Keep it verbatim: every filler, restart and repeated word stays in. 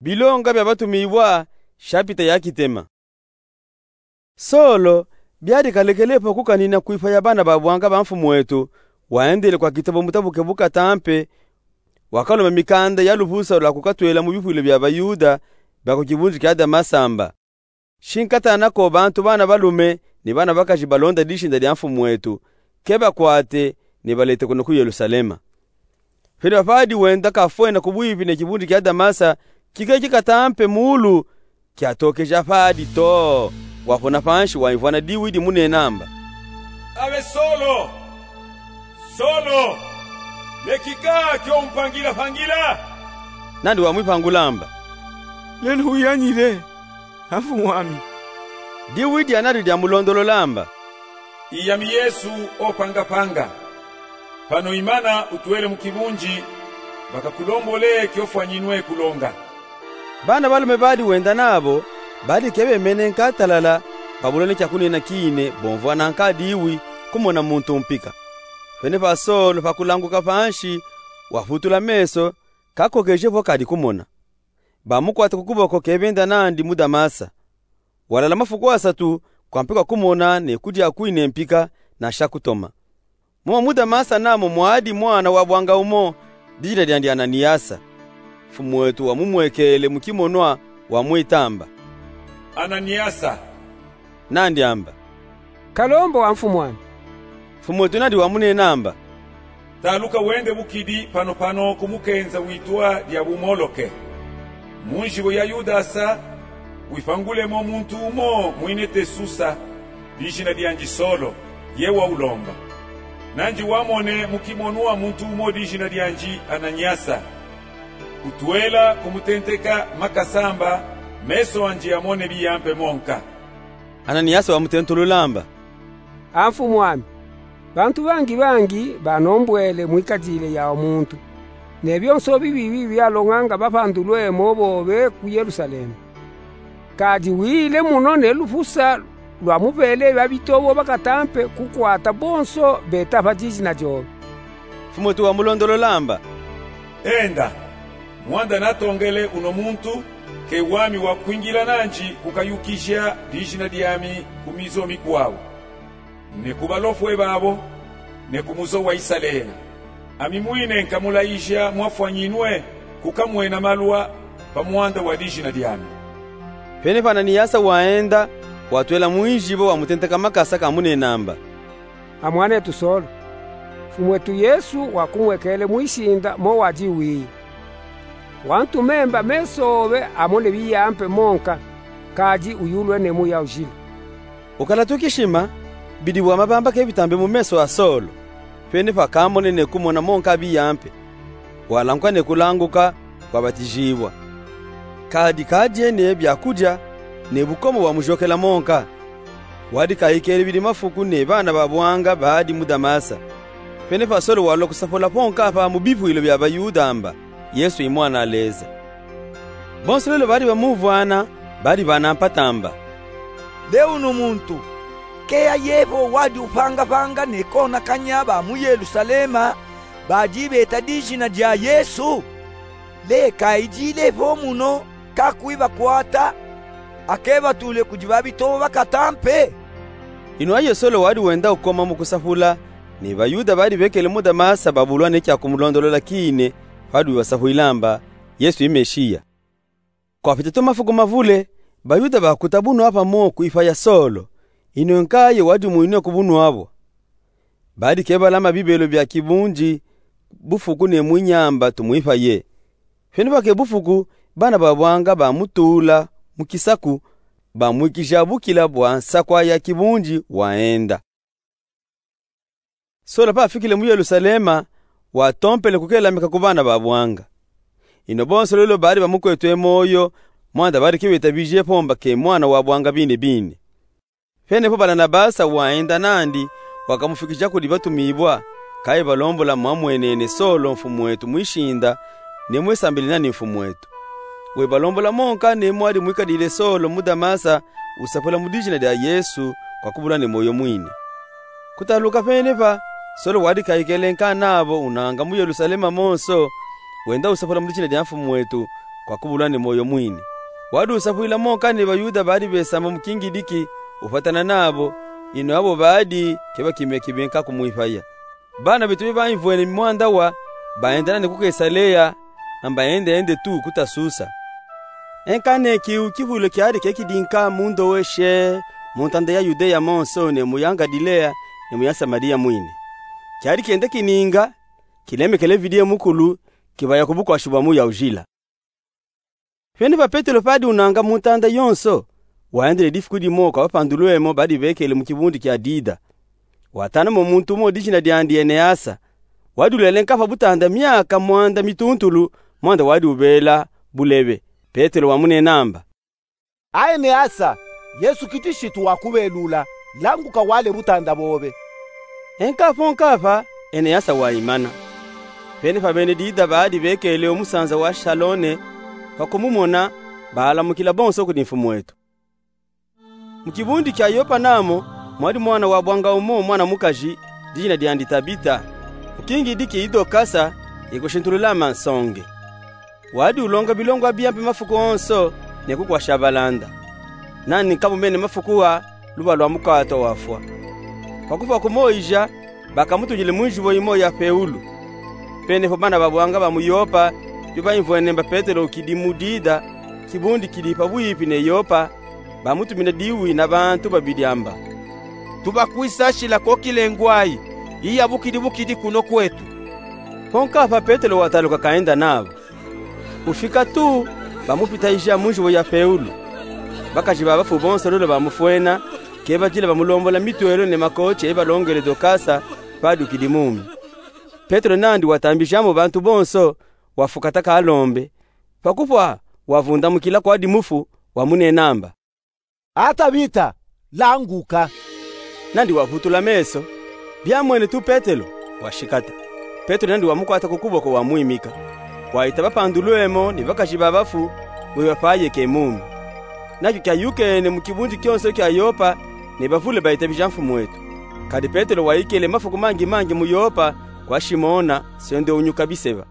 Bilonga bia batumibwa, shapita ya kitema. Solo, biadi kalekele po kukanina kwifa ya bana ba bwanga ba mfumu eto, waendele kwa kitabo mutabuke bu katampe, wakalomba mikanda ya lupusa lwa kukatwela mu bipwilo bia Bayuda bia ku kibunzi kia Damasa amba: Shi nkatana ko bantu bana balume ni bana bakazi balonda dishinda dia mfumu eto, kebakwate, ni balete kuno ku Yelusalema. Pene papadi wenda kafwena ku bwipi ne kibunzi kia Damasa, kikeki katampe muulu kiatokeja padi too, wapona panshi waimvwana diwi dimunena amba: Abe Solo, Solo, lekika kio umpangilapangila? Nandi wamwipangula amba: Lelu uyangile, a mfumu ami. Diwi dianadi diamulondolola amba: Iyami Yesu opangapanga. Pano imana utwele mu kibunzi, bakakulombole kio fwanyinwe kulonga. Bana balume badi wenda nabo, badi kebemene nkatalala, babulwa ne kia kunena kine, bomvwana nka diwi, kumona muntu mpika. Pene pa Solo pakulanguka panshi, waputula meso, kakokeje po kadi kumona. Bamukwata ku kuboko kebenda nandi mu Damasa. Walala mafuku asatu, kwampe kwa kumona ne kudia kwine mpika, na sha kutoma. Momo mu Damasa namo mwadi mwana wa bwanga umo, dijina diandi Ananiasa. Mfumu eto wamumwekele mu kimonwa, wamwita amba: Ananiasa. Nandi amba: Kalombo, a mfumu ami. Mfumu eto nandi wamunena amba: Taluka wende bukidi panopano ku mukenza witwa dia bumoloke. Mu nzibo ya Yudasa, wipangulemo muntu umo mwine te Susa, dijina diandi Solo, ye waulomba. Nandi wamone mu kimonwa muntu umo dijina diandi Ananiasa. Utwela kumutenteka makasa amba meso andi amone biyampe monka. Ananiasa wamutentulula amba: A mfumu ami, bantu bangi bangi banombwele mwikadile ya muntu, ne byonso bibi bibi byalonganga bapandulwemo bobe ku Yelusalema. Kadi wile muno ne lupusa lwamubele babitobo bakatampe kukwata bonso beta pa dijina dyobe. Mfumu eto wamulondolola amba: Enda, mwanda natongele uno muntu, ke wami wakwingila nandi kukayukija dijina dyami ku mizo mikwawu, ne ku balofwe babo, ne ku muzo wa Isalele. Ami mwine nkamulayija mwafwanyinwe kukamwena malwa pa mwanda wa dijina dyami. Pene pa Ananiasa waenda, watwela mwinzibo wamutenteka makasa kamunena amba: A mwanetu Solo, Mfumu etu Yesu wakumwekele mwisinda mo wadi wiya. Wantumemba meso obe amone biyampe monka, kadi uyulwe ne muya ujila. Ukala tukishima, bidi bwa mabamba kebitambe mu meso a Solo. Pene pa kamone ne kumona monka biyampe, walanguka ne kulanguka, wabatijibwa. Kadi kadyene byakudya, ne bukoma bwamujokela monka. Wadi kayikele bidi mafuku ne bana ba bwanga badi mu Damasa. Pene pa Solo walwa kusapula ponka pa mu bipwilo bya Bayuda amba Yesu i Mwana a Leza. Bonso lolo badi bamuvwana, badi bana mpata amba: Le unu muntu, keya yebo wadi upangapanga ne konakanya ba mu Yelusalema, badi beta dijina dya Yesu? Le kayidile po muno, kakwibakwata, akebatule kudi babitobo bakatampe? Ino ayo Solo wadi wenda ukoma mu kusapula, ne Bayuda badi bekele mu Damasa babulwa ne kya kumulondolola kine, padi wibasapwila amba Yesu i Meshiya. Kwapita twa mafuku mavule, Bayuda bakuta bunwa pamo kwifa ya Solo, ino nkaye wadi mwinwe ku bunwa bwa. Badi kebalama bibelo bya kibunji, bufuku ne mwinyamba tumwipaye. Pene pake bufuku, bana ba bwanga bamutula mu kisaku, bamwikija bukila bwa nsakwa ya kibunji, waenda. Solo pafikile mu Yelusalema, watompele kukelamika ku bana ba bwanga. Ino bonso lolo badi bamukwetwe moyo, mwanda badi kebetabije po amba ke mwana wa bwanga bine bine. Pene po Balanabasa waenda nandi, wakamufikija kudi batumibwa, kaye balombola mwamwenene Solo Mfumu wetu mwishinda, ne mwesambili nandi Mfumu wetu. Webalombola monka ne mwadi mwikadile Solo mu Damasa, usapula mu dijina dya Yesu, kwa kubulwa ne moyo mwine. Kutaluka pene pa, Solo wadi kayikele nka nabo unanga mu Yelusalema monso, wenda usapula mu dijina dya Mfumu wetu, kwa kubulwa ne moyo mwini. Wadi usafwila mo kani baYuda badi besamba mu kingidiki, upatana nabo, ino abo badi kebakimeki benka kumwipaya. Bana beto be baimvwene mwanda wa, baenda nani ku Kesalea, na mbaendende tu ku Tasusa. Enka ne kiu kivwilo kiadi kekidinka mu ndoweshe, mu ntanda ya Yudeya monso, ne mu ya Ngalilea, ne mu ya Samaria mwini. Kiadi kenda kininga, kilemekele Vidiye Mukulu, kibaya ku bukwashi bwa muya ujila. Pene pa Petelo padi unanga mu ntanda yonso, waendele difuku dimo kwa bapandulwemo badi bekele mu kibundi kia Lida. Watana mo muntu mo dijina diandi Eneasa. Wadi ulelenka pa butanda miaka mwanda mituntulu, mwanda wadi ubela bulebe. Petelo wamunenamba: A Eneasa, Yesu Kilisitu wakubelula, languka wale butanda bobe. Enka po nka pa, Eneasa waimana. Pene pa bene Lida badi bekele o musanza wa Shalone, pa kumumona, balamukila bonso kudi mfumweto. Mu kibundi kia Yopa namo, mwadi mwana wabwanga umo mwana mukaji, dijina diandi Tabita. Mu kingidiki i Dokasa, ikushintulula mansonge. Wadi ulonga bilongo bia mpe mafuku onso, ne kukwasha balanda. Nani nkamu mene mafuku wa, luba lwa mukwata wafwa. Pa kufwa kumoija, bakamutungile mu njibo imo ya feulu. Pene po bana babwanga ba mu Yopa, bio baimvwene mba Petelo ukidi mu Lida, kibundi kidi pa bwipi ne Yopa, bamutumina diwi na bantu babidi amba: Tubakwisashila ko kile ngwayi, iya bukidi bukidi kuno kwetu. Po nka pa Petelo wataluka kaenda nabo. Ufika tu, bamupitaija mu njibo ya feulu. Bakaji ba bafu bonso lolo bamufwena, kebadila bamulombola mitwelo ne makoti ebalongele Dokasa, padi ukidi mumi. Petelo nandi watambija mo bantu bonso, wafukata kalombe. Pa kufwa, wavundamukila kwadi mufu, wamunenamba: A Tabita, languka. Nandi wavutula meso, biamwene tu Petelo, washikata. Petelo nandi wamukwata ku kuboko wamwimika. Wahita bapandulwemo ne bakaji ba bafu, weba pa yeke mumi. Nakio kiayukene mu kibundi kionso kia Yopa, ne bavule bayitabija mfumweto. Kadi Petelo wayikele mafuku mangi mangi mu Yopa, kwa Shimona, sende unyuka biseba.